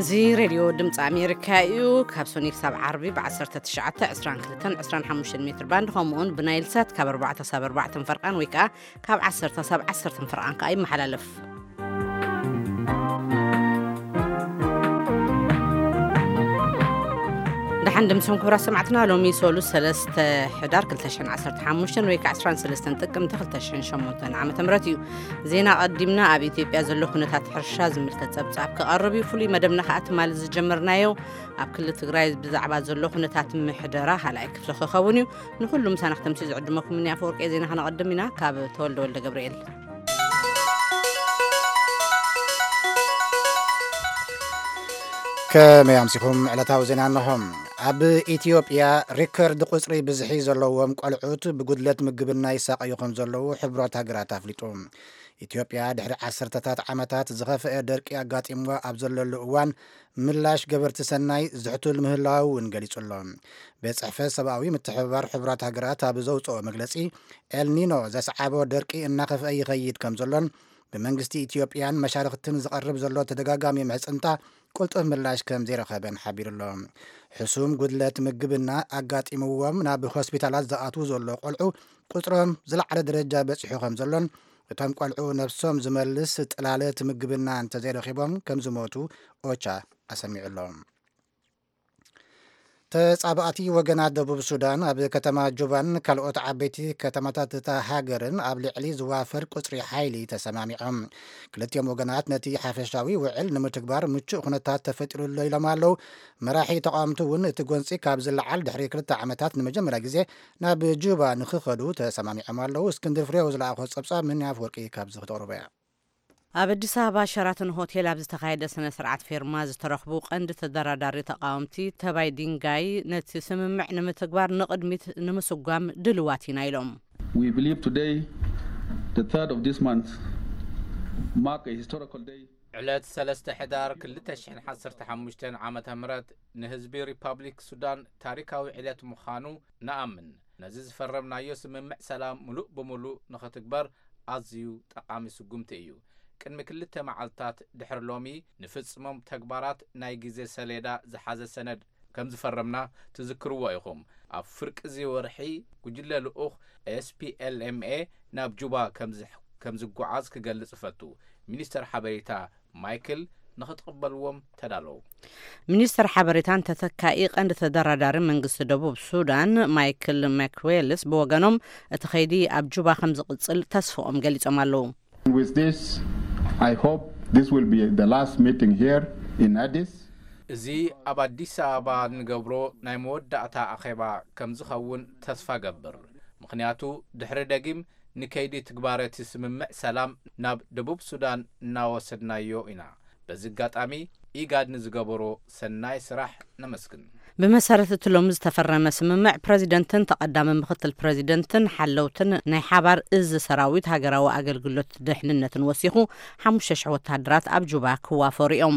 እዚ ሬድዮ ድምፂ ኣሜሪካ እዩ። ካብ ሶኒ ክሳብ ዓርቢ ብ19፣ 22፣ 25 ሜትር ባንድ፣ ከምኡውን ብናይል ሳት ካብ ኣርባዕተ ሳብ ኣርባዕተ ፈርቓን ወይ ከዓ ካብ ዓሰርተ ሳብ ዓሰርተ ፈርቓን ከዓ ይመሓላለፍ። ደሓን ድምፅኹም ክቡራት ሰማዕትና። ሎሚ ሶሉስ ሰለስተ ሕዳር ክልተ ሽሕን ዓሰርተ ሓሙሽተን ወይ ከዓ ዕስራን ሰለስተን ጥቅምቲ ክልተ ሽሕን ሸሞንተን ዓመተ ምህረት እዩ። ዜና ቀዲምና ኣብ ኢትዮጵያ ዘሎ ኩነታት ሕርሻ ዝምልከት ጸብጻብ ክቐርብ እዩ። ፍሉይ መደብና ከኣ ትማሊ ዝጀመርናዮ ኣብ ክልል ትግራይ ብዛዕባ ዘሎ ኩነታት ምሕደራ ካልኣይ ክፍሊ ክኸውን እዩ። ንኹሉ ምሳና ክተምሲ ዝዕድመኩም እኒ ኣፈወርቂ ዜና ከነቐድም ኢና። ካብ ተወልደ ወልደ ገብርኤል። ከመይ ኣምሲኹም? ዕለታዊ ዜና እንሆ። ኣብ ኢትዮጵያ ሪከርድ ቁጽሪ ብዝሒ ዘለዎም ቆልዑት ብጉድለት ምግብና ይሳቐዩ ከም ዘለዉ ሕቡራት ሃገራት ኣፍሊጡ። ኢትዮጵያ ድሕሪ ዓሰርተታት ዓመታት ዝኸፍአ ደርቂ ኣጋጢምዋ ኣብ ዘለሉ እዋን፣ ምላሽ ገበርቲ ሰናይ ዝሕቱል ምህላዉ እውን ገሊጹ ኣሎ። ቤት ጽሕፈት ሰብኣዊ ምትሕብባር ሕቡራት ሃገራት ኣብ ዘውጽኦ መግለጺ፣ ኤልኒኖ ዘስዓቦ ደርቂ እናኸፍአ ይኸይድ ከም ዘሎን፣ ብመንግስቲ ኢትዮጵያን መሻርኽትን ዝቐርብ ዘሎ ተደጋጋሚ ምሕጽንታ ቅልጡፍ ምላሽ ከም ዘይረኸበን ሓቢሩ ኣሎ። ሕሱም ጉድለት ምግብና ኣጋጢምዎም ናብ ሆስፒታላት ዝኣትዉ ዘሎ ቆልዑ ቁጽሮም ዝለዓለ ደረጃ በጺሑ ከም ዘሎን፣ እቶም ቆልዑ ነብሶም ዝመልስ ጥላለት ምግብና እንተዘይረኺቦም ከም ዝሞቱ ኦቻ ኣሰሚዑ ኣሎ። ተጻባእቲ ወገናት ደቡብ ሱዳን ኣብ ከተማ ጁባን ካልኦት ዓበይቲ ከተማታት እታ ሃገርን ኣብ ልዕሊ ዝዋፈር ቁጽሪ ሓይሊ ተሰማሚዖም። ክልቲኦም ወገናት ነቲ ሓፈሻዊ ውዕል ንምትግባር ምቹእ ኩነታት ተፈጢሩሎ ኢሎም ኣለዉ። መራሒ ተቃወምቲ እውን እቲ ጎንጺ ካብ ዝለዓል ድሕሪ ክልተ ዓመታት ንመጀመርያ ግዜ ናብ ጁባ ንኽኸዱ ተሰማሚዖም ኣለዉ። እስክንድር ፍሬው ዝለኣኾ ጸብጻብ ምን ኣፍወርቂ ካብዚ ክተቕርቦ እያ። ኣብ ኣዲስ ኣበባ ሸራተን ሆቴል ኣብ ዝተኻየደ ስነ ስርዓት ፌርማ ዝተረኽቡ ቀንዲ ተደራዳሪ ተቃወምቲ ተባይ ዲንጋይ ነቲ ስምምዕ ንምትግባር ንቕድሚት ንምስጓም ድልዋት ኢና ኢሎም። We believe today, the third of this month, mark a historical day. ዕለት ሰለስተ ሕዳር ክልተ ሽሕን ዓሰርተ ሓሙሽተን ዓመተ ምህረት ንህዝቢ ሪፓብሊክ ሱዳን ታሪካዊ ዕለት ምዃኑ ንኣምን። ነዚ ዝፈረምናዮ ስምምዕ ሰላም ምሉእ ብምሉእ ንኽትግበር ኣዝዩ ጠቓሚ ስጉምቲ እዩ። ቅድሚ ክልተ መዓልታት ድሕሪ ሎሚ ንፍጽሞም ተግባራት ናይ ግዜ ሰሌዳ ዝሓዘ ሰነድ ከም ዝፈረምና ትዝክርዎ ኢኹም። ኣብ ፍርቂ እዚ ወርሒ ጉጅለ ልኡኽ ኤስፒኤልኤምኤ ናብ ጁባ ከም ዝ-፣ ከም ዝጓዓዝ ክገልጽ እፈቱ። ሚኒስተር ሓበሬታ ማይክል ንኽትቕበልዎም ተዳለዉ። ሚኒስተር ሓበሬታን ተተካኢ ቀንዲ ተደራዳሪ መንግስቲ ደቡብ ሱዳን ማይክል ማክዌልስ ብወገኖም እቲ ኸይዲ ኣብ ጁባ ከም ዝቕጽል ተስፍኦም ገሊጾም ኣለዉ። With this, I hope this will be the last meeting here in Addis. እዚ ኣብ ኣዲስ ኣበባ እንገብሮ ናይ መወዳእታ ኣኼባ ከም ዝኸውን ተስፋ ገብር። ምኽንያቱ ድሕሪ ደጊም ንከይዲ ትግባረ እቲ ስምምዕ ሰላም ናብ ደቡብ ሱዳን እናወሰድናዮ ኢና። በዚ ኣጋጣሚ ኢጋድ ንዝገበሮ ሰናይ ስራሕ ነመስግን። ብመሰረት እቲ ሎሚ ዝተፈረመ ስምምዕ፣ ፕረዚደንትን ተቐዳሚ ምኽትል ፕረዚደንትን ሓለውትን ናይ ሓባር እዚ ሰራዊት ሃገራዊ ኣገልግሎት ድሕንነትን ወሲኹ ሓሙሽተ ሽሕ ወተሃደራት ኣብ ጁባ ክዋፈሩ እዮም።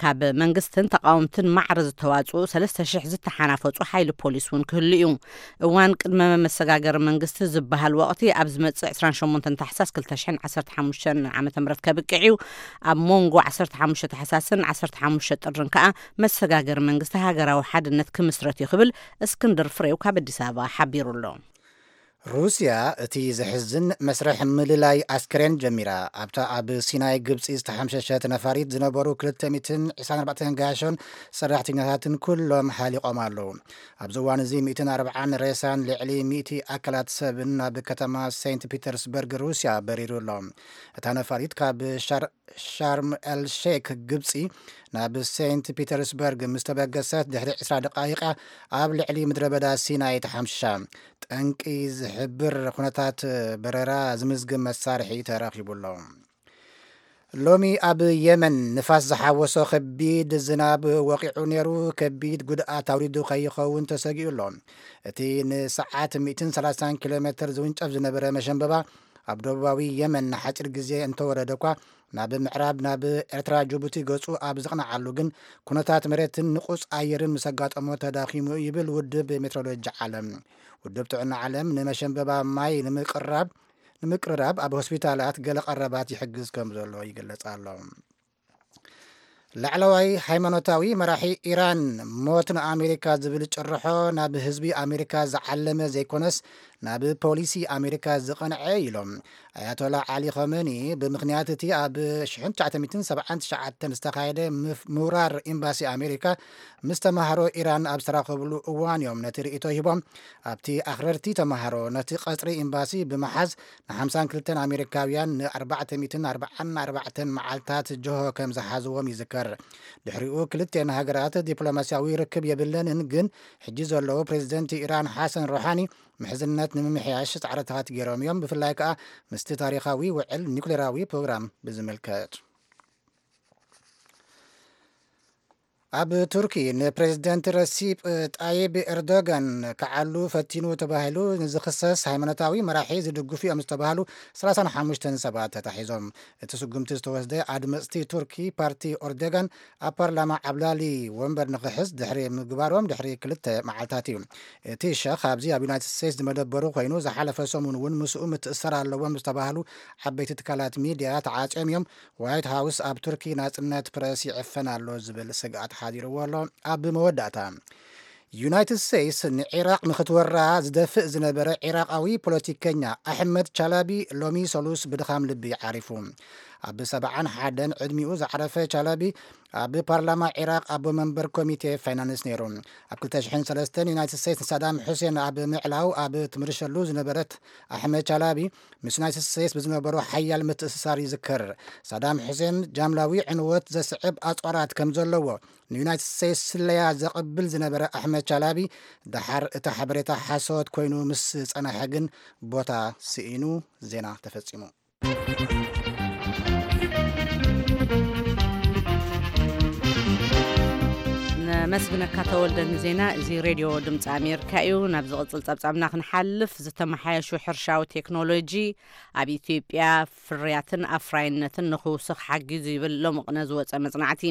ካብ መንግስትን ተቃወምትን ማዕረ ዝተዋጽኡ ሰለስተ ሽሕ ዝተሓናፈጹ ሓይሊ ፖሊስ እውን ክህሉ እዩ። እዋን ቅድመ መሰጋገሪ መንግስቲ ዝበሃል ወቕቲ ኣብ ዝመጽእ ዕስራን ሸሞንተን ታሕሳስ ክልተ ሽሕን ዓሰርተ ሓሙሽተን ዓመተ ምህረት ከብቅዕ እዩ። ኣብ መንጎ ዓሰርተ ሓሙሽተ ታሕሳስን ዓሰርተ ሓሙሽተ ጥርን ከኣ መሰጋገሪ መንግስቲ ሃገራዊ ሓድነት ክምስረት እዩ ክብል እስክንድር ፍሬው ካብ ኣዲስ ኣበባ ሓቢሩ ኣሎ። ሩስያ እቲ ዘሕዝን መስርሕ ምልላይ ኣስክሬን ጀሚራ። ኣብታ ኣብ ሲናይ ግብጺ ዝተሓምሸሸት ነፋሪት ዝነበሩ ክልተ ሚእትን ዕስራን ኣርባዕተን ገያሾን ሰራሕተኛታትን ኩሎም ሓሊቖም ኣለዉ። ኣብዚ እዋን እዚ ሚእትን ኣርባዓን ሬሳን ልዕሊ ሚእቲ ኣካላት ሰብን ናብ ከተማ ሴንት ፒተርስበርግ ሩስያ በሪሩ ኣሎ። እታ ነፋሪት ካብ ሻር-፣ ሻርም ኤል ሼክ ግብጺ ናብ ሴንት ፒተርስበርግ ምስ ተበገሰት ድሕሪ ዕስራ ደቃይቃ ኣብ ልዕሊ ምድረ በዳ ሲናይ ተሓምሽሻ። ጠንቂ ዝሕብር ኩነታት በረራ ዝምዝግብ መሳርሒ ተረኺቡ ኣሎ። ሎሚ ኣብ የመን ንፋስ ዝሓወሶ ከቢድ ዝናብ ወቂዑ ነይሩ፣ ከቢድ ጉድኣት ኣውሪዱ ከይኸውን ተሰጊኡ ኣሎ። እቲ ንሰዓት ሚእትን ሰላሳን ኪሎ ሜትር ዝውንጨፍ ዝነበረ መሸንበባ ኣብ ደቡባዊ የመን ንሓጺር ግዜ እንተወረደ እኳ፣ ናብ ምዕራብ ናብ ኤርትራ ጅቡቲ ገጹ ኣብ ዝቕንዓሉ ግን፣ ኩነታት መሬትን ንቑጽ ኣየርን ምስ ኣጋጠሞ ተዳኺሙ ይብል ውድብ ሜትሮሎጂ ዓለም። ውድብ ጥዕና ዓለም ንመሸንበባ ማይ ንምቅራብ፣ ንምቅርራብ ኣብ ሆስፒታላት ገለ ቀረባት ይሕግዝ ከም ዘሎ ይግለጽ ኣሎ። ላዕለዋይ ሃይማኖታዊ መራሒ ኢራን፣ "ሞት ንኣሜሪካ" ዝብል ጭርሖ ናብ ህዝቢ ኣሜሪካ ዝዓለመ ዘይኮነስ፣ ናብ ፖሊሲ ኣሜሪካ ዝቐንዐ ኢሎም። ኣያቶላ ዓሊ ኸመኒ፣ ብምኽንያት እቲ ኣብ ሽሕን ትሽዓተ ሚእትን ሰብዓን ትሽዓተን ዝተኻየደ ምፍ-፣ ምውራር ኤምባሲ ኣሜሪካ ምስ ተማሃሮ ኢራን ኣብ ዝተራኸብሉ እዋን እዮም ነቲ ርእይቶ ሂቦም። ኣብቲ ኣኽረርቲ ተማሃሮ ነቲ ቀጽሪ ኤምባሲ ብምሓዝ ንሓምሳን ክልተን ኣሜሪካውያን ንኣርባዕተ ሚእትን ኣርባዓን ኣርባዕተን መዓልታት ጅሆ ከም ዝሓዝዎም ይዝከር። ድሕሪኡ ክልተን ሃገራት ዲፕሎማስያዊ ርክብ የብለንን፣ ግን ሕጂ ዘለዉ ፕሬዚደንት ኢራን ሓሰን ሮሓኒ ምሕዝነት ንምምሕያሽ ጻዕርታት ገይሮም እዮም። ብፍላይ ከኣ ምስቲ ታሪኻዊ ውዕል ኒውክሌራዊ ፕሮግራም ብዝምልከት። ኣብ ቱርኪ ንፕሬዚደንት ረሲፕ ጣይብ ኤርዶጋን ክዓሉ ፈቲኑ ተባሂሉ ንዝኽሰስ ሃይማኖታዊ መራሒ ዝድግፉ እዮም ዝተባህሉ ሰላሳን ሓሙሽተን ሰባት ተታሒዞም። እቲ ስጉምቲ ዝተወስደ ኣድመፅቲ ቱርኪ ፓርቲ ኦርዶጋን ኣብ ፓርላማ ዓብላሊ ወንበር ንኽሕዝ ድሕሪ ምግባሮም ድሕሪ ክልተ መዓልታት እዩ። እቲ ሸኽ ኣብዚ ኣብ ዩናይትድ ስቴትስ ዝመደበሩ ኮይኑ፣ ዝሓለፈ ሰሙን እውን ምስኡ ምትእስሳር ኣለዎም ዝተባህሉ ዓበይቲ ትካላት ሚድያ ተዓፅዮም እዮም። ዋይት ሃውስ ኣብ ቱርኪ ናጽነት ፕረስ ይዕፈን ኣሎ ዝብል ስግኣት ሓዲርዎ ኣሎ። ኣብ መወዳእታ፣ ዩናይትድ ስቴትስ ንዒራቕ ንኽትወራ ዝደፍእ ዝነበረ ዒራቓዊ ፖለቲከኛ ኣሕመድ ቻላቢ ሎሚ ሰሉስ ብድኻም ልቢ ዓሪፉ። ኣብ ሰብዓን ሓደን ዕድሚኡ ዝዓረፈ ቻላቢ ኣብ ፓርላማ ዒራቕ ኣቦ መንበር ኮሚቴ ፋይናንስ ነይሩ። ኣብ ክልተ ሽሕን ሰለስተን ዩናይትድ ስቴትስ ንሳዳም ሑሴን ኣብ ምዕላው ኣብ ትምርሸሉ ዝነበረት ኣሕመድ ቻላቢ፣ ምስ ዩናይትድ ስቴትስ ብዝነበሮ ሓያል ምትእስሳር ይዝከር። ሳዳም ሑሴን ጃምላዊ ዕንወት ዘስዕብ ኣጽዋራት ከም ዘለዎ ንዩናይትድ ስቴትስ ስለያ ዘቐብል ዝነበረ ኣሕመድ ቻላቢ፣ ደሓር እቲ ሓበሬታ ሓሶት ኮይኑ ምስ ጸናሐ ግን ቦታ ስኢኑ። ዜና ተፈጺሙ። ነመስግነካ ተወልደ ንዜና። እዚ ሬድዮ ድምፂ ኣሜሪካ እዩ። ናብ ዝቕፅል ጸብጻብና ክንሓልፍ፣ ዝተመሓየሹ ሕርሻዊ ቴክኖሎጂ ኣብ ኢትዮጵያ ፍርያትን ኣፍራይነትን ንኽውስኽ ሓጊዙ ይብል ሎሚ ቅነ ዝወፀ መፅናዕቲ።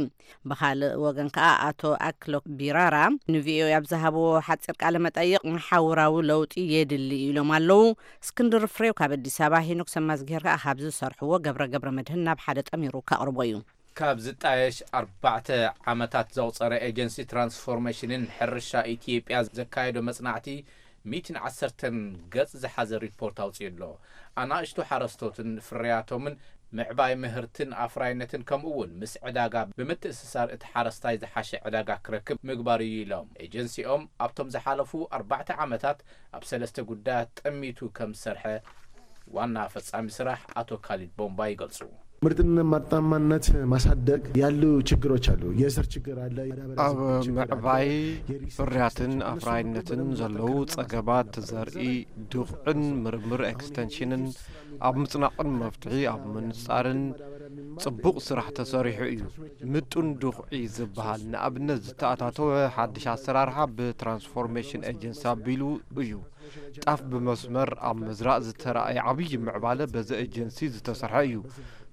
ብኻልእ ወገን ከኣ ኣቶ ኣክሎክ ቢራራ ንቪኦኤ ኣብ ዝሃብዎ ሓፂር ቃለ መጠይቕ መሓውራዊ ለውጢ የድሊ ኢሎም ኣለዉ። እስክንድር ፍሬው ካብ ኣዲስ ኣበባ፣ ሄኖክ ሰማዝጌር ከኣ ካብ ዝሰርሕዎ ገብረ ገብረ መድህን ናብ ሓደ ጠሚሩ ከቕርቦ እዩ። ካብ ዝጣየሽ ኣርባዕተ ዓመታት ዘቑጸረ ኤጀንሲ ትራንስፎርሜሽንን ሕርሻ ኢትዮጵያ ዘካየዶ መጽናዕቲ ሚእትን ዓሰርተን ገጽ ዝሓዘ ሪፖርት ኣውጺኡ ኣሎ። ኣናእሽቱ ሓረስቶትን ፍርያቶምን ምዕባይ ምህርትን ኣፍራይነትን ከምኡ እውን ምስ ዕዳጋ ብምትእስሳር እቲ ሓረስታይ ዝሓሸ ዕዳጋ ክረክብ ምግባር እዩ ኢሎም። ኤጀንሲኦም ኣብቶም ዝሓለፉ ኣርባዕተ ዓመታት ኣብ ሰለስተ ጉዳያት ጠሚቱ ከም ዝሰርሐ ዋና ፈጻሚ ስራሕ ኣቶ ካሊድ ቦምባ ይገልጹ። ምርትን ምርታማነት ማሳደግ ያሉ ችግሮች አሉ። የስር ችግር አለ። የማዳበሪያ ኣብ ችግር አለ። ምዕባይ የሪሶርስ ፍርያትን ችግር፣ እነሱ አፍራይነትን ሁሉ ዘለዉ በጠንካራ ጸገባት፣ ዘርኢ፣ ዱኽዕን ምርምር ኤክስቴንሽንን ኣብ ምጽናቕን መፍትሒ ኣብ ምንጻርን ጽቡቕ ስራሕ ተሰሪሑ እዩ። ምጡን ዱኽዒ ዝበሃል ንኣብነት ዝተኣታተወ ሓድሽ ኣሰራርሓ ብትራንስፎርሜሽን ኤጀንሲ ኣቢሉ እዩ። ጣፍ ብመስመር ኣብ ምዝራእ ዝተራእየ ዓብዪ ምዕባለ በዚ ኤጀንሲ ዝተሰርሐ እዩ።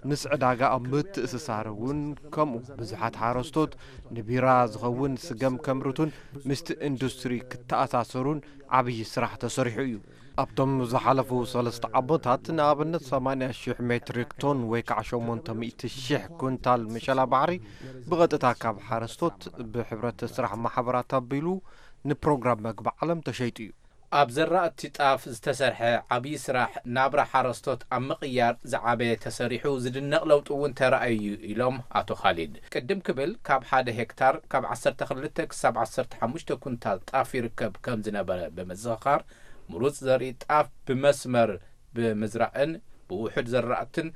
ምስ ዕዳጋ ኣብ ምትእስሳር እውን ከምኡ። ብዙሓት ሓረስቶት ንቢራ ዝኸውን ስገም ከምርቱን ምስቲ ኢንዱስትሪ ክተኣሳሰሩን ዓብዪ ስራሕ ተሰሪሑ እዩ። ኣብቶም ዝሓለፉ ሰለስተ ዓመታት ንኣብነት ሰማንያ ሺሕ ሜትሪክ ቶን ወይ ከዓ ሸሞንተ ሚእቲ ሺሕ ኩንታል መሸላ ባሕሪ ብቐጥታ ካብ ሓረስቶት ብሕብረት ስራሕ ማሕበራት ኣቢሉ ንፕሮግራም መግቢ ዓለም ተሸይጡ እዩ። ኣብ ዘራእቲ ጣፍ ዝተሰርሐ ዓብዪ ስራሕ ናብራ ሓረስቶት ኣብ ምቕያር ዝዓበየ ተሰሪሑ ዝድነቕ ለውጢ እውን ተራእዩ እዩ ኢሎም ኣቶ ካሊድ። ቅድም ክብል ካብ ሓደ ሄክታር ካብ ዓሰርተ ክልተ ክሳብ ዓሰርተ ሓሙሽተ ኩንታል ጣፍ ይርከብ ከም ዝነበረ ብምዝኽኻር፣ ምሩፅ ዘርኢ ጣፍ ብመስመር ብምዝራእን ብውሑድ ዘራእትን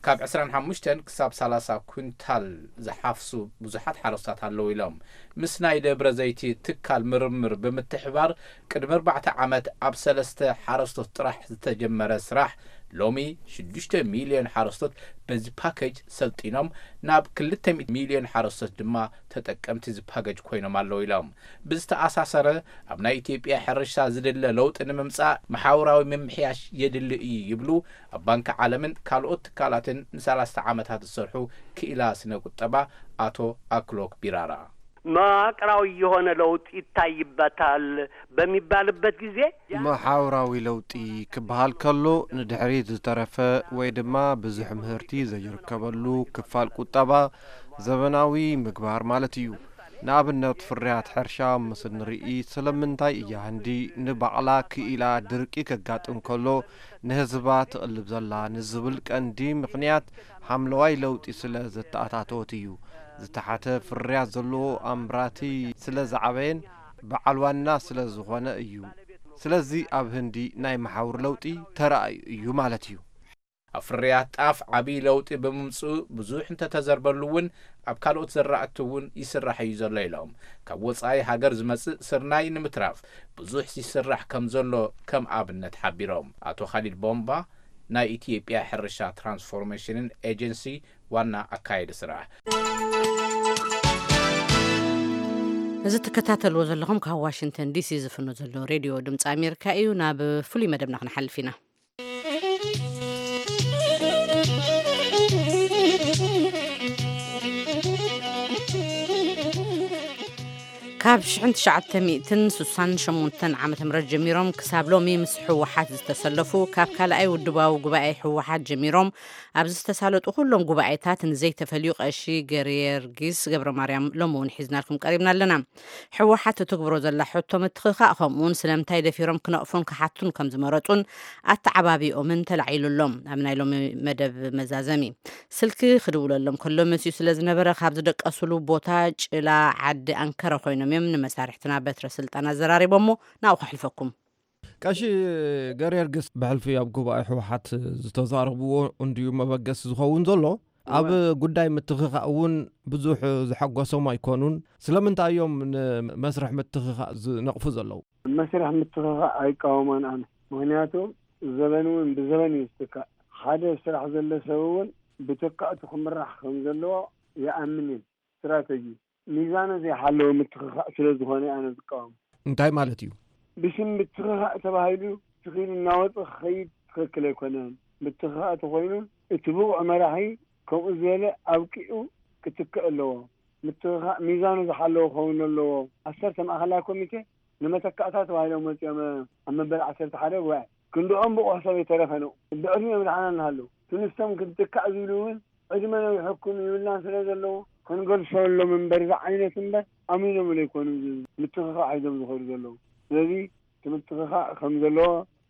ካብ ዕስራን ሓሙሽተን ክሳብ ሰላሳ ኩንታል ዝሓፍሱ ብዙሓት ሓረስቶት ኣለዉ ኢሎም። ምስ ናይ ደብረ ዘይቲ ትካል ምርምር ብምትሕባር ቅድሚ ኣርባዕተ ዓመት ኣብ ሰለስተ ሓረስቶት ጥራሕ ዝተጀመረ ስራሕ ሎሚ ሽዱሽተ ሚልዮን ሓረስቶት በዚ ፓኬጅ ሰልጢኖም ናብ ክልተ ሚልዮን ሓረስቶት ድማ ተጠቀምቲ እዚ ፓኬጅ ኮይኖም ኣለዉ ኢሎም። ብዝተኣሳሰረ ኣብ ናይ ኢትዮጵያ ሕርሻ ዝድለ ለውጢ ንምምጻእ መሓውራዊ ምምሕያሽ የድሊ እዩ ይብሉ። ኣብ ባንኪ ዓለምን ካልኦት ትካላትን ንሰላስተ ዓመታት ዝሰርሑ ክኢላ ስነ ቁጠባ ኣቶ ኣክሎክ ቢራራ። መዋቅራዊ የሆነ ለውጥ ይታይበታል በሚባልበት ጊዜ መሓውራዊ ለውጢ ክበሃል ከሎ ንድሕሪት ዝተረፈ ወይ ድማ ብዙሕ ምህርቲ ዘይርከበሉ ክፋል ቁጠባ ዘበናዊ ምግባር ማለት እዩ። ንኣብነት ፍርያት ሕርሻ ምስ ንርኢ ስለምንታይ እያ ህንዲ ንባዕላ ክኢላ ድርቂ ከጋጥም ከሎ ንህዝባ ትቕልብ ዘላ ንዝብል ቀንዲ ምኽንያት ሓምለዋይ ለውጢ ስለ ዘተኣታተወት እዩ። ዝተሓተ ፍርያት ዘለዎ ኣምራቲ ስለ ዝዓበየን በዓል ዋና ስለ ዝኾነ እዩ። ስለዚ ኣብ ህንዲ ናይ መሓውር ለውጢ ተራእዩ እዩ ማለት እዩ። ኣብ ፍርያት ጣፍ ዓብዪ ለውጢ ብምምፅኡ ብዙሕ እንተተዘርበሉ እውን ኣብ ካልኦት ዘራእቲ እውን ይስራሕ እዩ ዘሎ ኢሎም። ካብ ወፃኢ ሃገር ዝመፅእ ስርናይ ንምትራፍ ብዙሕ ይስራሕ ከም ዘሎ ከም ኣብነት ሓቢሮም። ኣቶ ካሊድ ቦምባ ናይ ኢትዮጵያ ሕርሻ ትራንስፎርሜሽንን ኤጀንሲ ዋና ኣካየዲ ስራሕ። እዚ ትከታተልዎ ዘለኹም ካብ ዋሽንግተን ዲሲ ዝፍኖ ዘሎ ሬድዮ ድምፂ ኣሜሪካ እዩ። ናብ ፍሉይ መደብና ክንሓልፍ ኢና። ካብ ሽሕን ትሽዓተ ሚእትን ስሳን ሸሞንተን ዓመተ ምህረት ጀሚሮም ክሳብ ሎሚ ምስ ህወሓት ዝተሰለፉ፣ ካብ ካልኣይ ውድባዊ ጉባኤ ህወሓት ጀሚሮም ኣብ ዝተሳለጡ ኩሎም ጉባኤታት ንዘይተፈልዩ ቀሺ ገርየርጊስ ገብረ ማርያም ሎሚ እውን ሒዝናልኩም ቀሪብና ኣለና። ህወሓት እትግብሮ ዘላ ሕቶ ምትኽኻእ ከምኡውን ስለምንታይ ደፊሮም ክነቕፉን ክሓቱን ከም ዝመረጹን ኣተዓባቢኦምን ተላዒሉ ኣሎ። ኣብ ናይ ሎሚ መደብ መዛዘሚ ስልኪ ክድውለሎም ከሎ መሲኡ ስለ ዝነበረ ካብ ዝደቀሱሉ ቦታ ጭላ ዓዲ ኣንከረ ኮይኖም እዮም ንመሳርሕትና በትረ ስልጣን ኣዘራሪቦሞ ናብኡ ከሕልፈኩም። ቀሺ ገርየርጊስ ብሕልፊ ኣብ ጉባኤ ህወሓት ዝተዛረብዎ እንድዩ መበገሲ ዝኸውን ዘሎ። ኣብ ጉዳይ ምትኽኻእ እውን ብዙሕ ዝሐጎሶም ኣይኮኑን። ስለምንታይ እዮም ንመስርሕ ምትኽኻእ ዝነቕፉ ዘለዉ? መስርሕ ምትኽኻእ ኣይቃወሞን ኣነ። ምኽንያቱ ዘበን እውን ብዘበን እዩ ዝትካእ። ሓደ ስራሕ ዘሎ ሰብ እውን ብተካእቱ ክምራሕ ከም ዘለዎ ይኣምን እየ። ስትራተጂ ሚዛኑ ዘይሓለወ ምትኽኻእ ስለ ዝኾነ ኣነ ዝቃወም። እንታይ ማለት እዩ? ብሽም ምትኽኻእ ተባሂሉ ስኺሉ እናወፀ ክኸይድ ትኽክል ኣይኮነን። ምትኽኻእ ተኾይኑ እቲ ብቑዕ መራሒ ከምኡ ዝበለ ኣብቂዑ ክትክእ ኣለዎ። ምትኽኻእ ሚዛኑ ዝሓለወ ክኸውን ኣለዎ። ዓሰርተ ማእኸላይ ኮሚቴ ንመተካእታ ተባሂሎም መፂኦም ኣብ መበል ዓሰርተ ሓደ ጉባኤ ክንድኦም ብቑሕ ሰብ ኣይተረፈን። ብዕድሚኦም ደሓና እናሃለዉ እቲ ንሶም ክትካእ ዝብሉ እውን ዕድመ ነዊሕኩም ይብልናን ስለ ዘለዉ ክንገልሰሎም እምበር ዝዓይነት እምበር ኣሚኖምሉ ኣይኮኑን ምትኽኻእ ሒዞም ዝኸዱ ዘለዉ። ስለዚ እቲ ምትኽኻእ ከም ዘለዎ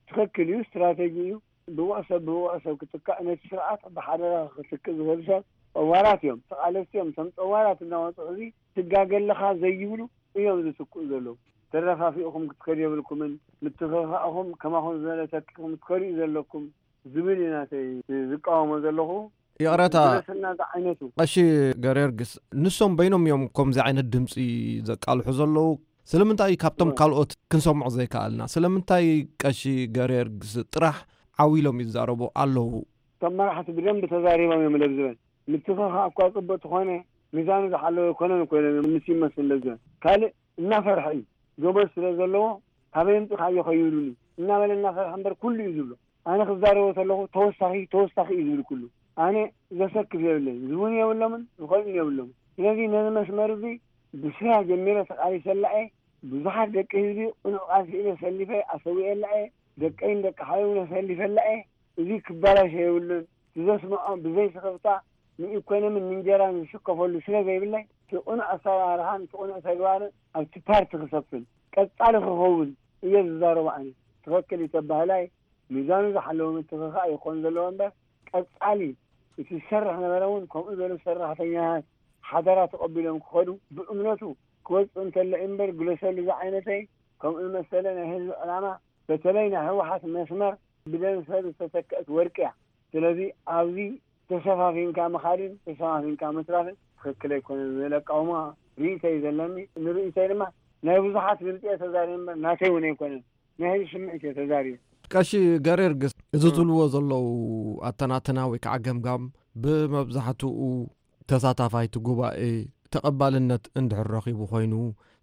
ትኽክል እዩ፣ ስትራተጂ እዩ። ብቑዕ ሰብ ብብቑዕ ሰብ ክትካእ ነቲ ስርዓት ብሓደራ ክትክእ ዝኽእል ሰብ ጸዋራት እዮም፣ ተቓለስቲ እዮም። እቶም ጸዋራት እናወፅኡ እዚ ትጋገ ኣለኻ ዘይብሉ እዮም ዝትክኡ ዘለዉ። ተረፋፊእኹም ክትከዱ የብልኩምን፣ ምትኽኻእኹም ከማኹም ዝበለ ተኪኹም ትከዱ እዩ ዘለኩም ዝብል እዩ ናተይ ዝቃወሞ ዘለኹ። ይቕረታ። ዝለሰና ዝዓይነቱ። ቀሺ ገርየርጊስ፣ ንሶም በይኖም እዮም ከምዚ ዓይነት ድምፂ ዘቃልሑ ዘለዉ። ስለምንታይ ካብቶም ካልኦት ክንሰምዖ ዘይከኣልና? ስለምንታይ ቀሺ ገርየርጊስ ጥራሕ ዓው ኢሎም ይዛረቡ ኣለዉ? እቶም መራሕቲ ብደንቢ ተዛሪቦም እዮም ለብዝበን። ምትኽኻእ እኳ ጽቡቅ ተኾነ ሚዛኑ ዝሓለወ ኣይኮነን እኮ ኢሎም እዮም ምስ ይመስል ለብዝበን። ካልእ እናፈርሐ እዩ። ገበዝ ስለ ዘለዎ ካበይ ኣምጺእካዮ ከይብሉኒ እናበለ እናፈርሐ እምበር ኩሉ እዩ ዝብሎ። ኣነ ክዛረቦ ተለኹ ተወሳኺ ተወሳኺ እዩ ዝብል ኩሉ። ኣነ ዘሰክፍ የብለይን፣ ዝብሉን የብሎምን፣ ዝኸልኡን የብሎምን። ስለዚ ነዚ መስመር እዚ ብስራ ጀሚረ ተቃሊሰላ እየ። ብዙሓት ደቂ ህዝቢ ቅኑዕ ቃልሲ ኢለ ሰሊፈ ኣሰዊኤላ እየ። ደቀይን ደቂ ሓወይን እውን ኣሰሊፈላ እየ። እዚ ክበላሾ የብሉን። እቲ ዘስምዖ ብዘይ ስኽፍታ ንኢኮኖምን ንእንጀራን ዝስከፈሉ ስለ ዘይብለይ፣ እቲ ቅኑዕ ኣሰራርሓን እቲ ቅኑዕ ተግባርን ኣብቲ ፓርቲ ክሰፍን ቀጻሊ ክኸውን እየ ዝዛረቦ። ኣነ ትኽክል እዩ ተባህላይ ሚዛኑ ዝሓለወ ምትኽኻእ ይኾን ዘለዎ እምበር፣ ቀጻሊ እቲ ዝሰርሕ ነበረ እውን ከምኡ ዝበሉ ሰራሕተኛታት ሓደራ ተቐቢሎም ክኸዱ ብእምነቱ ክወፅእ እንተሎ እዩ እምበር፣ ግለሰሉ ዝዓይነተይ ከምኡ ዝመሰለ ናይ ህዝቢ ዕላማ በተለይ ናይ ህወሓት መስመር ብደም ሰብ ዝተተክአት ወርቂ እያ። ስለዚ ኣብዚ ተሸፋፊንካ ምኻድን ተሸፋፊንካ ምትራፍን ትኽክል ኣይኮነን ዝብል ኣቃውማ ርኢቶ እዩ ዘለኒ። ንርኢቶይ ድማ ናይ ብዙሓት ድምፂ እየ ተዛሪበ እምበር ናተይ እውን ኣይኮነን። ናይ ህዝቢ ስምዒት እየ ተዛሪበ። ቀሺ ገሬርግስ፣ እዚ ዝብልዎ ዘለዉ ኣተናትና ወይ ከዓ ገምጋም ብመብዛሕትኡ ተሳታፋይ እቲ ጉባኤ ተቐባልነት እንድሕር ረኺቡ ኮይኑ፣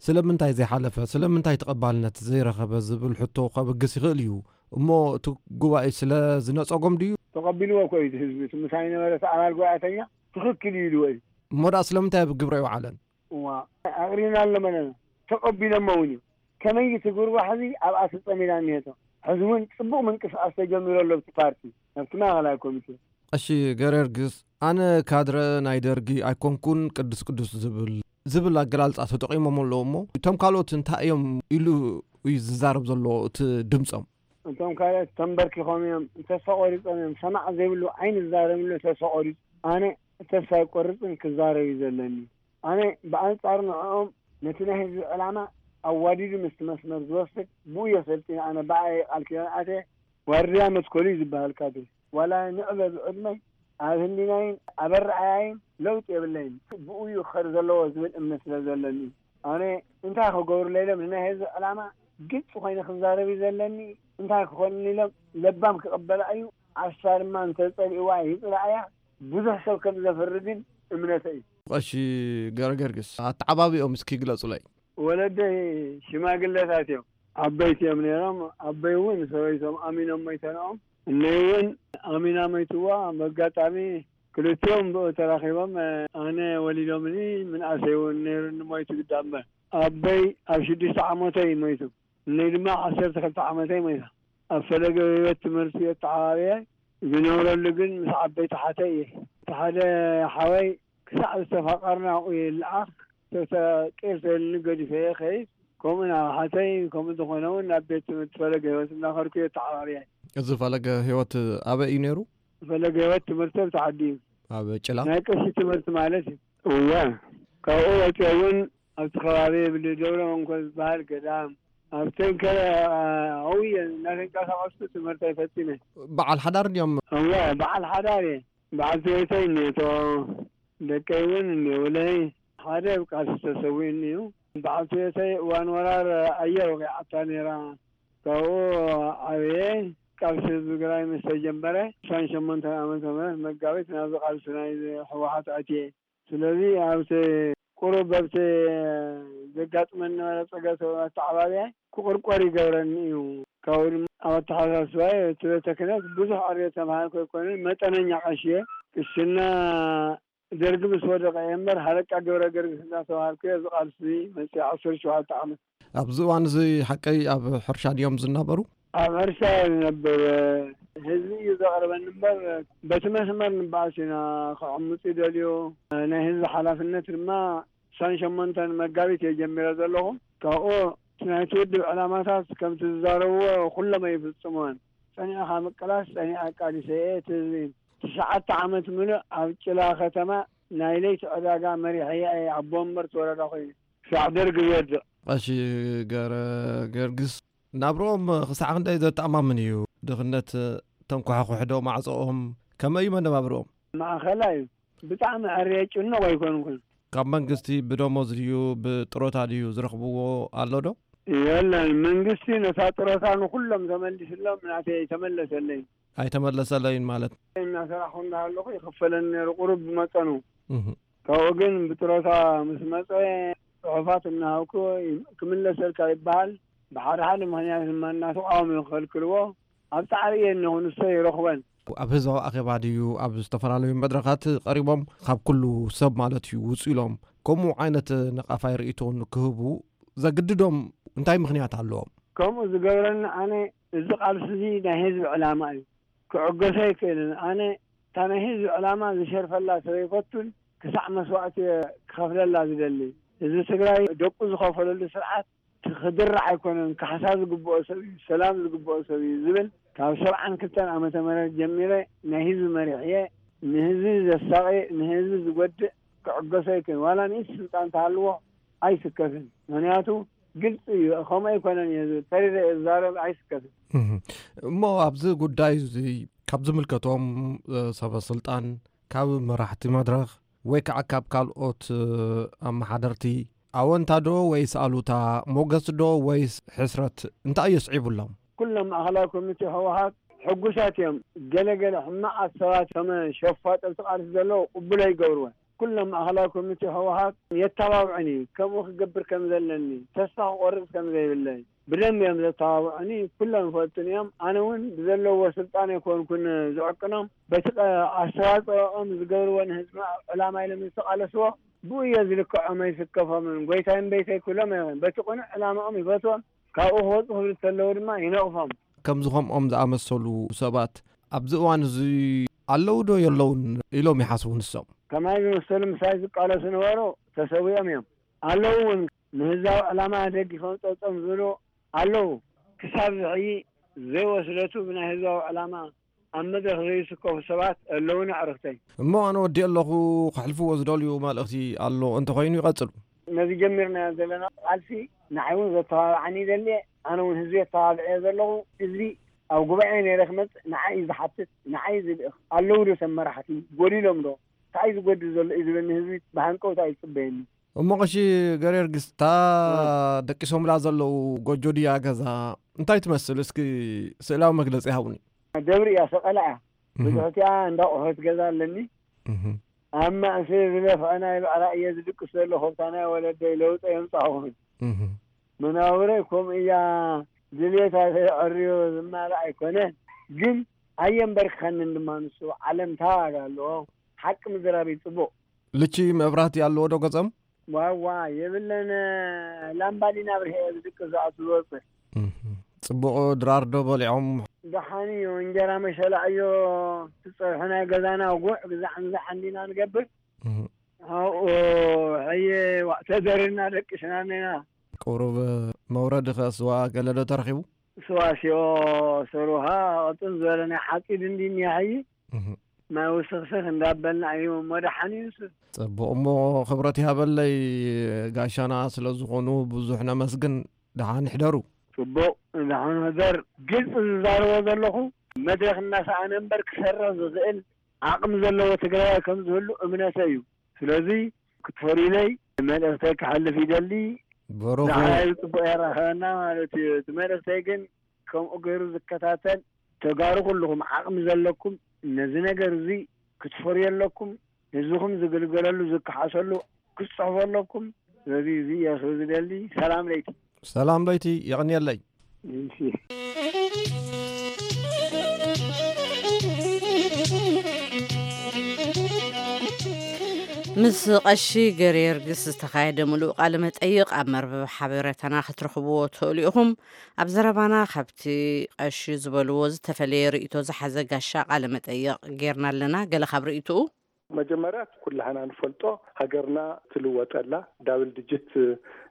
ስለምንታይ ዘይሓለፈ፣ ስለምንታይ ተቐባልነት ዘይረኸበ ዝብል ሕቶ ከብግስ ይኽእል እዩ። እሞ እቲ ጉባኤ ስለ ዝነጸጎም ድዩ? ተቐቢልዎ እኮ እዩ እቲ ህዝቢ። እቲ ምሳይ ነበረ እቲ ኣባል ጉባኤተኛ ትኽክል እዩ ኢልዎ እዩ። እሞ ደኣ ስለምንታይ ኣብ ግብረ ኣይወዓለን? እዋ ኣቕሪብና ኣለመለና ተቐቢሎሞ እውን እዩ። ከመይ ትግርባ ሕዚ ኣብኣ ተጸሚዳ እኒሄቶ። ሕዚ እውን ጽቡቕ ምንቅስቃስ ተጀሚሩ ኣሎ ኣብቲ ፓርቲ ኣብቲ ማእኸላይ ኮሚቴ። ቀሺ ገረርግስ፣ ኣነ ካድረ ናይ ደርጊ ኣይኮንኩን ቅዱስ ቅዱስ ዝብል ዝብል ኣገላልጻ ተጠቒሞም ኣለዉ እሞ እቶም ካልኦት እንታይ እዮም ኢሉ እዩ ዝዛረብ ዘሎ እቲ ድምፆም? እቶም ካልኦት ተንበርኪኾም እዮም፣ ተስፋ ቆሪጾም እዮም። ሰማዕ ዘይብሉ ዓይኒ ዝዛረብሉ ተስፋ ቆሪጹ። ኣነ ተስፋ ኣይቆርጽን፣ ክዛረብ እዩ ዘለኒ። ኣነ ብኣንጻሩ ንዕኦም ነቲ ናይ ህዝቢ ዕላማ ኣዋዲዱ ምስቲ መስመር ዝወስድ ብኡ እየ ሰልጢነ። ኣነ ብኣየ ቃል ኪዳን ኣትየ ዋርድያ መትከሉ እዩ ዝበሃል ካድረ። ዋላ ንዕበ ብዕድመይ ኣብ ህሊናይን ኣብ ኣረኣያይን ለውጢ የብለይን። ብኡ እዩ ክኸድ ዘለዎ ዝብል እምነት ስለ ዘለኒ ኣነ እንታይ ክገብሩለይ ኢሎም ንናይ ህዝቢ ዕላማ ግልፂ ኮይነ ክዛረብ እዩ ዘለኒ። እንታይ ክኾንኒ ኢሎም ለባም ክቕበላ እዩ። ዓሻ ድማ እንተፀሊእዋ ይፅላእያ። ብዙሕ ሰብ ከም ዘፍሪ ግን እምነተ እዩ። ቀሺ ገረገርግስ ኣተዓባቢኦም እስኪ ግለፁለይ። ወለደይ ሽማግለታት እዮም። ዓበይቲ እዮም ነይሮም። ኣቦይ እውን ሰበይቶም ኣሚኖም ሞይተንኦም። እነይ እውን ኣሚና ሞይትዋ። በጋጣሚ ክልቲኦም ብኡ ተራኺቦም ኣነ ወሊዶምኒ ምንኣሰይ እውን ነይሩኒ ሞይቱ ግዳ እምበር ኣቦይ ኣብ ሽዱሽተ ዓመተይ እዩ ሞይቱ። እነይ ድማ ዓሰርተ ክልተ ዓመተይ ሞይታ። ኣብ ፈለገ ህይወት ትምህርቲ ኣተዓባብየ ዝነብረሉ ግን ምስ ዓበይቲ ሓተይ እየ። እቲ ሓደ ሓወይ ክሳዕ ዝተፋቐርና ኣብኡ ይለኣኽ። ተተቂርተኒ ገዲፈ እየ ከይድ። ከምኡ ናብ ሓተይ ከምኡ ዝኾነ እውን ናብ ቤት ትምህርቲ ፈለገ ህይወት እናኸድኩ እየ ተዓባብየ። እዚ ፈለገ ህይወት ኣበይ እዩ ነይሩ? ፈለገ ህይወት ትምህርቲ ኣብ ተዓዲ እዩ። ኣብ ጭላ? ናይ ቀሺ ትምህርቲ ማለት እዩ። እወ ካብኡ ወፂኦ እውን ኣብቲ ከባቢ ብደብረ መንኮ ዝበሃል ገዳም ኣብ ተንከረ ኣውየ እናተንቀሳቀስኩ ትምህርተይ ፈፂመ። በዓል ሓዳር ድዮም? እወ በዓል ሓዳር እየ። በዓልቲ ቤተይ እኒኦቶ፣ ደቀይ እውን እኒኦውለይ። ሓደ ኣብ ቃልሲ ተሰዊኡኒ እዩ። በዓልቲ ቤተይ እዋን ወራር ኣየር ወቒዓታ ነይራ። ካብኡ ዓብየ። ቃልሲ ህዝቢ ትግራይ ምስ ተጀመረ ዕስራን ሸሞንተን ዓመተ ምህረት መጋቢት ናብዚ ቃልሲ ናይ ህወሓት ኣትየ። ስለዚ ኣብቲ ቁሩብ ኣብቲ ዘጋጥመኒ ነበረ ፀገት ኣተዓባብያ ክቑርቆር ይገብረኒ እዩ። ካብኡ ድማ ኣብ ኣተሓሳስባይ እቲ ቤተ ክህነት ብዙሕ ዕርየ ተምሃርኩ ኣይኮነን፣ መጠነኛ ቀሺ እየ። ቅስና ደርጊ ምስ ወደቐ እየ እምበር ሃለቃ ገብረ ገርግስ እንዳተባሃልኩ እየ ኣብዚ ቃልሲ መፅየ ዓሰርተ ሸውዓተ ዓመት። ኣብዚ እዋን እዚ ሓቀይ ኣብ ሕርሻ ድዮም ዝናበሩ? ኣብ ሕርሻ እየ ዝነብር። ህዝቢ እዩ ዘቕርበኒ እምበር በቲ መስመር ንበኣስ ኢና። ክዕምፁ ይደልዩ። ናይ ህዝቢ ሓላፍነት ድማ ዕስራን ሸሞንተን መጋቢት እየ ጀሚረ ዘለኹ። ካብኡ እቲ ናይቲ ውድብ ዕላማታት ከምቲ ዝዛረብዎ ኩሎም ኣይፍፅምዎን። ፀኒዕኻ ምቅላስ ፀኒዐ ኣቃሊሰ እየ እቲ ህዝቢ። ትሽዓተ ዓመት ምሉእ ኣብ ጭላ ከተማ ናይ ለይቲ ዕዳጋ መሪሐያ እየ ኣቦ ወንበር እቲ ወረዳ ኮይኑ። ክሳዕ ደርጊ ዝወድቕ። ቀሺ ገረ ገርግስ ናብርኦም ክሳዕ ክንደይ ዘተኣማምን እዩ? ድኽነት ተንኳሕኩሕዶ ማዕጾኦም? ከመይ እዩ መነባብርኦም? ማእኸላ እዩ። ብጣዕሚ ዕርየ ጭኑቕ ኣይኮንኩን። ካብ መንግስቲ ብደሞዝ ድዩ ብጥሮታ ድዩ ዝረኽብዎ ኣሎ ዶ? የለን። መንግስቲ ነታ ጥሮታ ንኩሎም ተመሊስሎም ናተይ ኣይተመለሰለይን። ኣይተመለሰለይን ማለት? እናሰራሕኹ እንዳሃለኹ ይኽፈለኒ ነይሩ ቁሩብ ብመጠኑ። እህ። ካብኡ ግን ብጥሮታ ምስ መፀ ፅሑፋት እናሃብኩ ክምለሰልካ ይበሃል። ብሓደ ሓደ ምኽንያት ድማ እናተቃወሙ ይኸልክልዎ። ኣብ ፃዕሪ እየ እነኹ ንሶ ይረኽበን። ኣብ ህዝባዊ ኣኼባ ድዩ ኣብ ዝተፈላለዩ መድረኻት ቀሪቦም ካብ ኩሉ ሰብ ማለት እዩ ውፅ ኢሎም ከምኡ ዓይነት ነቓፋይ ርእይቶ ንክህቡ ዘግድዶም እንታይ ምኽንያት ኣለዎም? ከምኡ ዝገብረኒ ኣነ እዚ ቃልሲ እዚ ናይ ህዝቢ ዕላማ እዩ። ክዕገሶ ኣይክእልን። ኣነ እታ ናይ ህዝቢ ዕላማ ዝሸርፈላ ሰብ ኣይፈቱን። ክሳዕ መስዋእቲ እየ ክኸፍለላ ዝደሊ። ህዝቢ ትግራይ ደቁ ዝኸፈለሉ ስርዓት ክድራዕ ኣይኮነን። ካሕሳ ዝግብኦ ሰብ እዩ፣ ሰላም ዝግብኦ ሰብ እዩ ዝብል ካብ ሰብዓን ክልተን ዓመተ ምህረት ጀሚረ ናይ ህዝቢ መሪሕ እየ። ንህዝቢ ዘሳቒ ንህዝቢ ዝጎድእ ክዕገሶ ኣይክእልን። ዋላ ንእሽቲ ስልጣን ተሃልዎ ኣይስከፍን። ምኽንያቱ ግልፂ እዩ። ከምኡ ኣይኮነን እየ ዝብል፣ ተሪረ እየ ዝዛረብ፣ ኣይስከፍን። እህ። እሞ ኣብዚ ጉዳይ እዚ ካብ ዝምልከቶም እ፣ ሰበ ስልጣን፣ ካብ መራሕቲ መድረኽ ወይ ከዓ ካብ ካልኦት እ፣ ኣመሓደርቲ ኣወንታ ዶ ወይስ ኣሉታ፣ ሞገስ ዶ ወይስ ሕስረት እንታይ የስዒቡሎም? ኩሎም ማእኸላይ ኮሚቴ ህወሓት ሕጉሳት እዮም። ገለገለ ሕማቓት ሰባት ከም ሸፋጥ ኣብቲ ቃልሲ ዘለዉ ቅቡል ኣይገብርዎን። ኩሎም ማእኸላይ ኮሚቴ ህወሓት የተባብዑኒ፣ ከምኡ ክገብር ከም ዘለኒ፣ ተስፋ ክቆርፅ ከም ዘይብለይ ብደንቢ እዮም ዘተባብዑኒ። ኩሎም ይፈልጡኒ እዮም። ኣነ እውን ብዘለዎ ስልጣን ኣይኮንኩን ዝዕቅኖም፣ በቲ ቀ- ኣስተዋፅኦኦም ዝገብርዎ ንህዝቢ ዕላማ ኢሎም ዝተቃለስዎ ብኡ እየ ዝልክዖም ኣይስከፎምን። ጎይታይ እምበይተይ ኩሎም እዮም። በቲ ቅኑዕ ዕላማኦም ይፈትዎም። ካብኡ ክወፁ ክብል እንተለዉ ድማ ይነቕፎም። ከምዚ ከምኦም ዝኣመሰሉ ሰባት ኣብዚ እዋን እዚ ኣለዉ ዶ የለውን ኢሎም ይሓስቡ ንሶም? ከማይ ዝመሰሉ ምሳይ ዝቃለሱ ነበሩ፣ ተሰዊኦም እዮም። ኣለዉ እውን ንህዝባዊ ዕላማ ደጊፎም ፀብፀም ዝብሉ ኣለዉ። ክሳብ ዝሕይ ዘይወስደቱ ብናይ ህዝባዊ ዕላማ ኣብ መድረኽ ዘይስከፉ ሰባት ኣለዉና ኣዕርኽተይ። እሞ ኣነ ወዲእ ኣለኹ፣ ከሕልፍዎ ዝደልዩ መልእኽቲ ኣሎ እንተኾይኑ ይቐጽሉ። ነዚ ጀሚርናዮ ዘለና ቃልሲ ንዓይ እውን ዘተባብዓኒ ይደሊ እየ። ኣነ እውን ህዝቢ የተባብዐ ዘለኹ። ህዝቢ ኣብ ጉባኤ ነይረ ክመጽእ ንዓይ እዩ ዝሓትት፣ ንዓይ እዩ ዝልእኽ። ኣለዉ ዶ ሰብ መራሕቲ? ጎዲሎም ዶ? እንታይ እዩ ዝጎድል ዘሎ እዩ ዝብለኒ ህዝቢ ብሃንቀውታ እዩ ዝጽበየኒ። እሞ ቀሺ ገሬርጊስ፣ እታ ደቂሶምላ ዘለዉ ጎጆ ድያ ገዛ እንታይ ትመስል? እስኪ ስእላዊ መግለጺ ሃቡኒ። ደብሪ እያ፣ ሰቐላ እያ። እህ። ብትሕቲኣ እንዳ ኣቑሑት ገዛ ኣለኒ። እህ። ኣብ ማእሲ ዝደፍአ ናይ ባዕላ እየ ዝድቅስ ዘለኹ። ኣብታ ናይ ወለደይ ለውጢ የምጻኹ። እህ። መናብረይ ከምኡ እያ። ድሌታ ዘይዕርዮ ዝማልእ ኣይኮነን። ግን ኣየንበርክኸንን ድማ ንሱ። ዓለም ታዋጋ ኣለዎ። ሓቂ ምዝራብ እዩ ጽቡቕ። ልቺ መብራህቲ ኣለዎ ዶ ገጸም? ዋዋ የብለን። ላምባዲና ብርሄ ዝድቅስ ዝኣቱ ዝወጽእ። እህ። ጽቡቕ ድራር ዶ በሊዖም? ደሓን እዩ። እንጀራ መሸላ እዮ ትጸብሑ ናይ ገዛና ጉዕ ግዛዕ ንዛዕ እንዲና ንገብር። እህ። ኣብኡ ሕየ ዋእ ተደርና ደቂስና እኒና። ቁሩብ መውረዲ ኸ ስዋ ገለ ዶ ተረኺቡ? ስዋ ሲኦ ሰሩሃ ቅጥን ዝበለ ናይ ሓጺድ እንዲ እኒኣ ሕይ። እህ። ማይ ውስኽስኽ እንዳበልና እዩ እሞ ደሓን እዩ ንሱ። ጽቡቕ እሞ ክብረት ይሃበለይ ጋሻና ስለ ዝኾኑ ብዙሕ ነመስግን። ደሓን ይሕደሩ። ጽቡቕ ደሓን ሕደር። ግልጺ ዝዛረቦ ዘለኹ መድረኽ እናሰኣነ እምበር ክሰርሕ ዝኽእል ዓቕሚ ዘለዎ ትግራዋይ ከም ዝህሉ እምነተይ እዩ። ስለዚ ክትፈርዩለይ መልእኽተይ ክሓልፍ ይደሊ። በረኹ። ንዓይ ጽቡቕ የራኸበና ማለት እዩ። እቲ መልእኽተይ ግን ከምኡ ገይሩ ዝከታተል ተጋሩ ኩልኹም ዓቕሚ ዘለኩም ነዚ ነገር እዚ ክትፈርዩ ኣለኩም። ህዝብኹም ዝግልገለሉ ዝከሓሰሉ ክትጽሕፉ ኣለኩም። ስለዚ እዚ እየ ክብል ዝደሊ። ሰላም ለይቲ። ሰላም ለይቲ፣ የቐንየለይ። እሺ። ምስ ቀሺ ገርየርግስ ዝተኻየደ ምሉእ ቃለ መጠይቕ ኣብ መርበብ ሓበሬታና ክትረኽብዎ ትኽእሉ ኢኹም። ኣብ ዘረባና ካብቲ ቀሺ ዝበልዎ ዝተፈለየ ርእይቶ ዝሓዘ ጋሻ ቃለ መጠይቕ ጌርና ኣለና። ገለ ካብ ርእይትኡ። መጀመርያ እቲ ኩላህና ንፈልጦ ሃገርና ትልወጠላ ዳብል ድጅት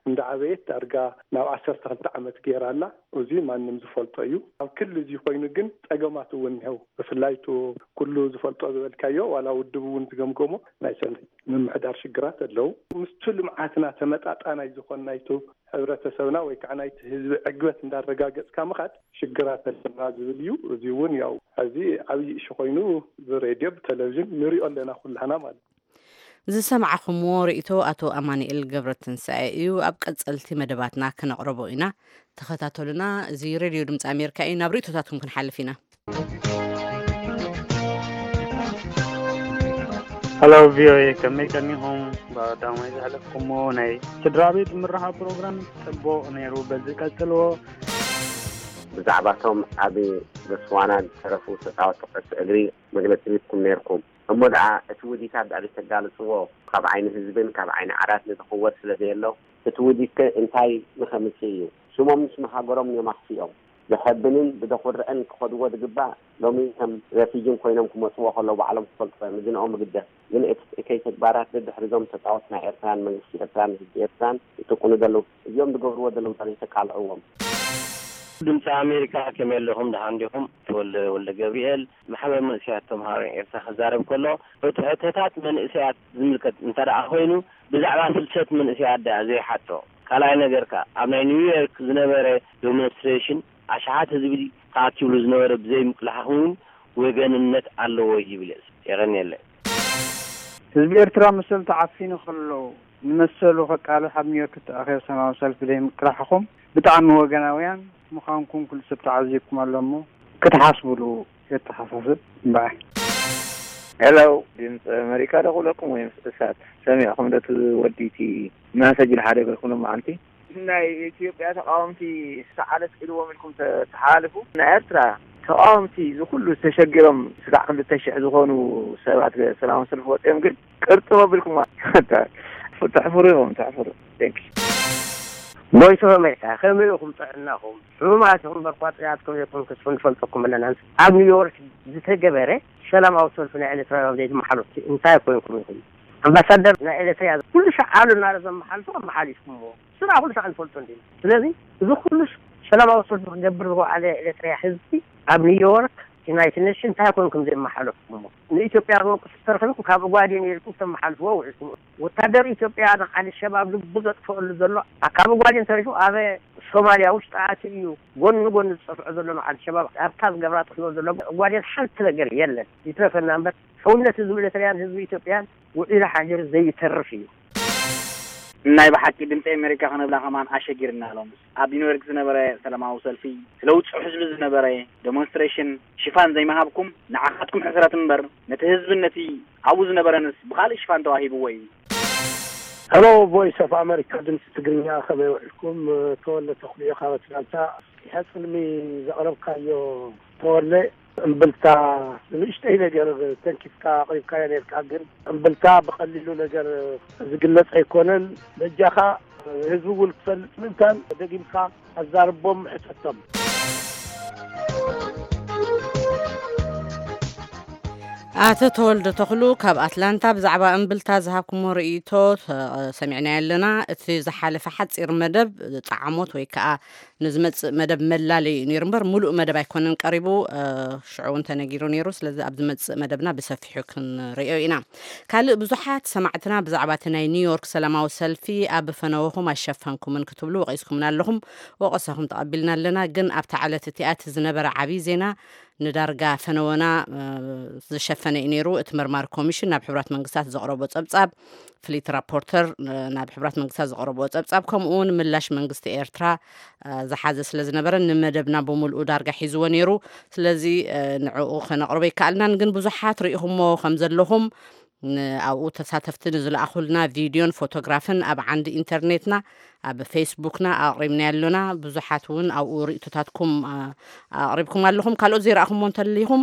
እንዳዓበየት ዳርጋ ናብ ዓሰርተ ክልተ ዓመት ገይራ ኣላ። እዚ ማንም ዝፈልጦ እዩ። ኣብ ክሊ እዚ ኮይኑ ግን ጸገማት እውን እኒሀው። ብፍላይ እቲ ኩሉ ዝፈልጦ ዝበልካዮ ዋላ ውድብ እውን ዝገምገሞ ናይ ሰልፊ ምምሕዳር ሽግራት ኣለዉ። ምስቲ ልምዓትና ተመጣጣናይ ዝኾን ናይቲ ሕብረተሰብና ወይ ከዓ ናይቲ ህዝቢ ዕግበት እንዳረጋገፅካ ምኻድ ሽግራት ኣለና ዝብል እዩ። እዚ እውን ያው ሕዚ ዓብዪ እሹ ኮይኑ ብሬድዮ ብቴሌቪዥን ንሪኦ ኣለና ኩላህና ማለት እዩ። ዝሰማዕኹምዎ ርእይቶ ኣቶ ኣማኑኤል ገብረትንሳኤ እዩ። ኣብ ቀጸልቲ መደባትና ክነቕርቦ ኢና። ተኸታተሉና። እዚ ሬድዮ ድምፂ ኣሜሪካ እዩ። ናብ ርእይቶታትኩም ክንሓልፍ ኢና። ሀሎ ቪኦኤ፣ ከመይ ቀኒኹም? ብቐዳማይ ዘሕለፍኩሞ ናይ ስድራ ቤት ምርኻብ ፕሮግራም ጽቡቕ ነይሩ፣ በዚ ቀጽልዎ። ብዛዕባቶም ኣብ ቦትስዋና ዝተረፉ ተጻወትቲ ኩዕሶ እግሪ መግለጺ ሂብኩም ነይርኩም። እሞ ደኣ እቲ ውዲት ኣብ ልዕሊ ተጋልጽዎ ካብ ዓይኒ ህዝብን ካብ ዓይኒ ዓራት ንዝኽወል ስለ ዘየሎ፣ እቲ ውዲት ከ እንታይ ንኸምጽእ እዩ? ሽሞም ንሽም ሃገሮም እዮም ኣኽፊኦም። ዘሐብንን ብዘኹርዕን ክኸድዎ ዝግባእ፣ ሎሚ ከም ረፊጅን ኮይኖም ክመጽዎ ከለዉ ባዕሎም ክፈልጥዎ እዮም። እዚ ንኦም ይግደፍ። ግን እቲ እከይ ተግባራት ደድሕሪ እዞም ተጻወትቲ ናይ ኤርትራን መንግስቲ ኤርትራን ህዝቢ ኤርትራን ይጥቁኑ ዘለዉ፣ እዚኦም ዝገብርዎ ዘለዉ ዶ ዘይተቃልዕዎም? ድምፂ ኣሜሪካ ከመይ ኣለኹም? ደሓን ዲኹም? ተወልደ ወልደ ገብርኤል፣ ማሕበር መንእሰያት ተምሃሮ ኤርትራ ክዛረብ ከሎ፣ እቲ ሕቶታት መንእሰያት ዝምልከት እንተ ደኣ ኮይኑ፣ ብዛዕባ ፍልሰት መንእሰያት ደኣ ዘይሓቶ። ካልኣይ ነገር ከኣ፣ ኣብ ናይ ኒውዮርክ ዝነበረ ዶሞንስትሬሽን ኣሽሓት ህዝቢ ተኣኪብሉ ዝነበረ ብዘይምቅላሕኹም እውን ወገንነት ኣለዎ ይብል። የቐንየለይ። ህዝቢ ኤርትራ መሰሉ ተዓፊኑ ከሎ ንመሰሉ ከቃልሕ ኣብ ኒውዮርክ እተኣኸበ ሰላማዊ ሰልፊ ዘይምቅላሕኹም ብጣዕሚ ወገናውያን ምዃንኩም ኩሉ ሰብ ተዓዚብኩም ኣሎ እሞ ክትሓስብሉ የተሓሳስብ። እምበኣር። ሄሎ ድምፂ ኣመሪካ ዶ ክብለኩም ወይስ እሳት? ሰሚዕኹም ዶ እቲ ወዲቲ መሰጅ ሓደ ገልኩም ሎማዓንቲ? ናይ ኢትዮጵያ ተቃወምቲ ሰዓለት ኢልዎም ኢልኩም ተሓላልፉ። ናይ ኤርትራ ተቃወምቲ እዚ ኩሉ ተሸጊሮም ስጋዕ ክልተ ሽሕ ዝኾኑ ሰባት ሰላማዊ ሰልፊ ወፂኦም ግን ቅርጥም ኣቢልኩም ተሕፍሩ ኢኹም፣ ተሕፍሩ። Thanks። ቮይስ ኦፍ ኣሜሪካ፣ ከመይ ኢኹም? ጥዕናኹም? ሕሙማት ኢኹም እምበር፣ እኳ ጥዑያት ከም ዘይኮንኩስ ንፈልጠኩም ኣለና። ኣብ ኒውዮርክ ዝተገበረ ሰላማዊ ሰልፊ ናይ ኤርትራውያን ዘይትመሓለፉ እንታይ ኮይንኩም ኢኹም? ኣምባሳደር ናይ ኤርትራ ኩሉ ሻዕ ኣሎ እናበለ ዘመሓልፎ ኣመሓሊፍኩምዎ። ስራ ኩሉ ሻዕ ንፈልጦ እንዲና። ስለዚ እዚ ኩሉ ሰላማዊ ሰልፊ ክገብር ዝወዓለ ኤርትራ ህዝቢ ኣብ ኒውዮርክ ዩናይትድ ኔሽን እንታይ ኮይንኩም ዘይመሓለፍኩምዎ? ንኢትዮጵያ ዝወቅስ ተረኺብኩም ካብ ኦጋዴን ኢልኩም ተመሓልፍዎ ውዒልኩም። ወታደር ኢትዮጵያ ንዓል ሸባብ ልቡ ዘጥፍአሉ ዘሎ ካብ ኦጋዴን ተሪፉ ኣብ ሶማልያ ውሽጢ ኣትዩ እዩ ጎኒ ንጎኒ ዝጸፍዖ ዘሎ ንዓል ሸባብ ኣብታ ዝገብራ ጥፍዮ ዘሎ ኦጋዴን ሓንቲ ነገር የለን። ይትረፈና እምበር ሕውነት ህዝቢ ኤርትራያን ህዝቢ ኢትዮጵያን ውዒሉ ሓዲሩ ዘይተርፍ እዩ። ናይ ብሓቂ ድምፂ ኣሜሪካ ክነብላ ከማን ኣሸጊርና። ሎምስ ኣብ ኒውዮርክ ዝነበረ ሰላማዊ ሰልፊ፣ ስለ ውፅዕ ህዝቢ ዝነበረ ዴሞንስትሬሽን ሽፋን ዘይምሃብኩም ንዓኻትኩም ሕስረት እምበር፣ ነቲ ህዝብን ነቲ ኣብኡ ዝነበረንስ ብኻልእ ሽፋን ተዋሂብዎ እዩ። ሄሎ፣ ቮይስ ኦፍ ኣሜሪካ ድምፂ ትግርኛ፣ ከመይ ውዒልኩም? ተወለ ተኽልዮ ካብ ኣትላንታ። ጽልሚ ዘቕረብካዮ ተወለ እምብልታ ንእሽተይ ነገር ተንኪፍካ ኣቕሪብካዮ ነርካ፣ ግን እምብልታ ብቐሊሉ ነገር ዝግለጽ ኣይኮነን። በጃኻ ህዝቢ እውን ክፈልጥ ምእንታን ደጊምካ ኣዛርቦም ሕተቶም። ኣቶ ተወልደ ተኽሉ ካብ ኣትላንታ ብዛዕባ እምብልታ ዝሃብኩሞ ርእይቶ ተ-፣ ሰሚዕናዮ ኣለና። እቲ ዝሓለፈ ሓጺር መደብ ጻዕሞት ወይ ከኣ ንዝመጽእ መደብ መላለዩ እዩ ነይሩ እምበር፣ ምሉእ መደብ ኣይኮነን ቀሪቡ። እ፣ ሽዑ እውን ተነጊሩ ነይሩ። ስለዚ ኣብ ዝመጽእ መደብና ብሰፊሑ ክንርእዮ ኢና። ካልእ ብዙሓት ሰማዕትና ብዛዕባ እቲ ናይ ኒውዮርክ ሰላማዊ ሰልፊ ኣብ ፈነወኹም ኣይሸፈንኩምን ክትብሉ ወቒስኩምና ኣለኹም። ወቐሳኹም ተቐቢልና ኣለና። ግን ኣብታ ዕለት እቲኣ እቲ ዝነበረ ዓብዪ ዜና ንዳርጋ ፈነወና፣ እ፣ ዝሸፈነ እዩ ነይሩ። እቲ መርማሪ ኮሚሽን ናብ ሕቡራት መንግስታት ዘቕረቦ ጸብጻብ፣ ፍሊት ራፖርተር፣ እ፣ ናብ ሕቡራት መንግስታት ዘቕረቦ ጸብጻብ፣ ከምኡ እውን ምላሽ መንግስቲ ኤርትራ፣ እ፣ ዝሓዘ ስለ ዝነበረ ንመደብና ብምልኡ ዳርጋ ሒዝዎ ነይሩ። ስለዚ፣ እ፣ ንዕኡ ከነቕርቦ ኣይከኣልናን። ግን ብዙሓት ርኢኹሞ ከም ዘለኹም ን-፣ ኣብኡ ተሳተፍቲ ንዝለኣኹልና ቪድዮን ፎቶግራፍን ኣብ ዓንዲ ኢንተርኔትና፣ ኣብ ፌስቡክና ኣቕሪብናዮ ኣሎና። ብዙሓት እውን ኣብኡ ርእይቶታትኩም፣ ኣ-፣ ኣቕሪብኩም ኣለኹም። ካልኦት ዘይረኣኹሞ እንተሊኹም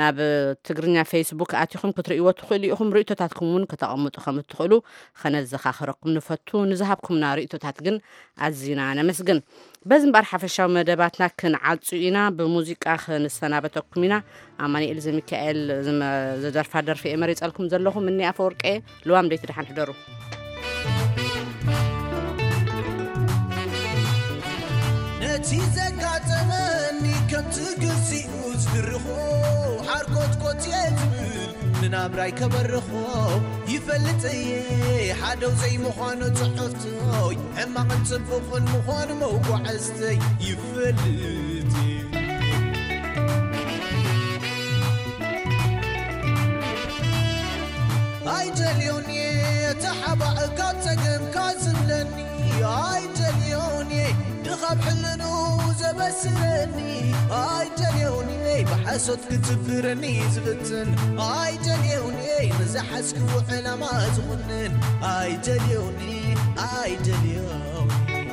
ናብ ትግርኛ ፌስቡክ ኣቲኹም ክትርእይዎ ትኽእሉ ኢኹም። ርእይቶታትኩም እውን ከተቐምጡ ከም እትኽእሉ ከነዘኻኽረኩም ንፈቱ። ንዝሃብኩምና ርእይቶታት ግን ኣዚና ነመስግን። በዚ እምበኣር ሓፈሻዊ መደባትና ክንዓጹ ኢና። ብሙዚቃ ክንሰናበተኩም ኢና። ኣማኑኤል ዘሚካኤል ዝመ-፣ ዝደርፋ ደርፊ እየ መሪጸልኩም ዘለኹ። ምኒ ኣፈወርቂ እየ። ልዋም ደይቲ ደሓን ሕደሩ። ነቲ ዘጋጠመኒ ከምቲ ግዚኡ ዝድርኾ ሓርኮትኮት እየ ዝብል፣ ንናብራይ ከበርኾ ይፈልጥ እየ። ሓደው ዘይምዃኑ ጽሑፍቶይ፣ ሕማቕን ጽቡቕን ምዃኑ መጓዕዝተይ ይፈልጥ እየ። ኣይደልዮን እየ ተሓባእ ካብ ጸገምካ ዝብለኒ፣ ኣይደልዮን እየ ድኻብ ሕልኑ ዘበስረኒ፣ ኣይደልዮን እየ ብሓሶት ክትብረኒ ዝፍትን፣ ኣይደልዮን እየ ንዝሓዝክዎ ዕላማ ዝኹንን፣ ኣይደልዮን እየ፣ ኣይደልዮን እየ።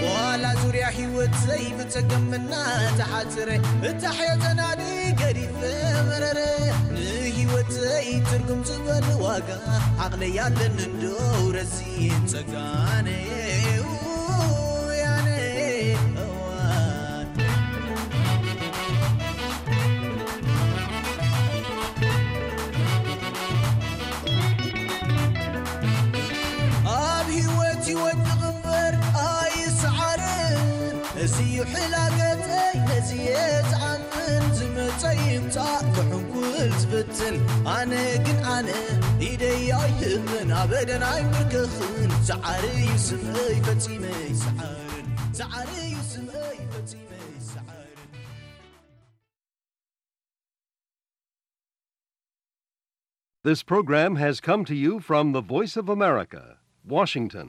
ዋላ ዙርያ ህይወተይ ብጸገም እናተሓጽረ፣ እታ ሕየተናዲ ገዲፈ መረረ። ንህይወተይ ትርጉም ዝበል ዋጋ ዓቕለይ ኣለኒ እንዶ ረሲን ጸጋነ። ውያነ እዋን። ኣብ ህይወት ይወድቕ እምበር ኣይሰዓርን፣ እዚ እዩ ሕላገተይ፣ ነዚ እየ ዝኣምን፣ ዝመጸ ይምጻእ ክሕንኩል ዝፍትን፣ ኣነ ግን ኣነ ኢደይ ኣይህብን፣ ኣበደን ኣይምርክኽን፣ ሰዓሪ እዩ ስመይ ፈጺመ ይሰዓርን፣ ሰዓሪ እዩ ስመይ ፈጺመ ይሰዓርን። This program has come to you from the Voice of America, Washington.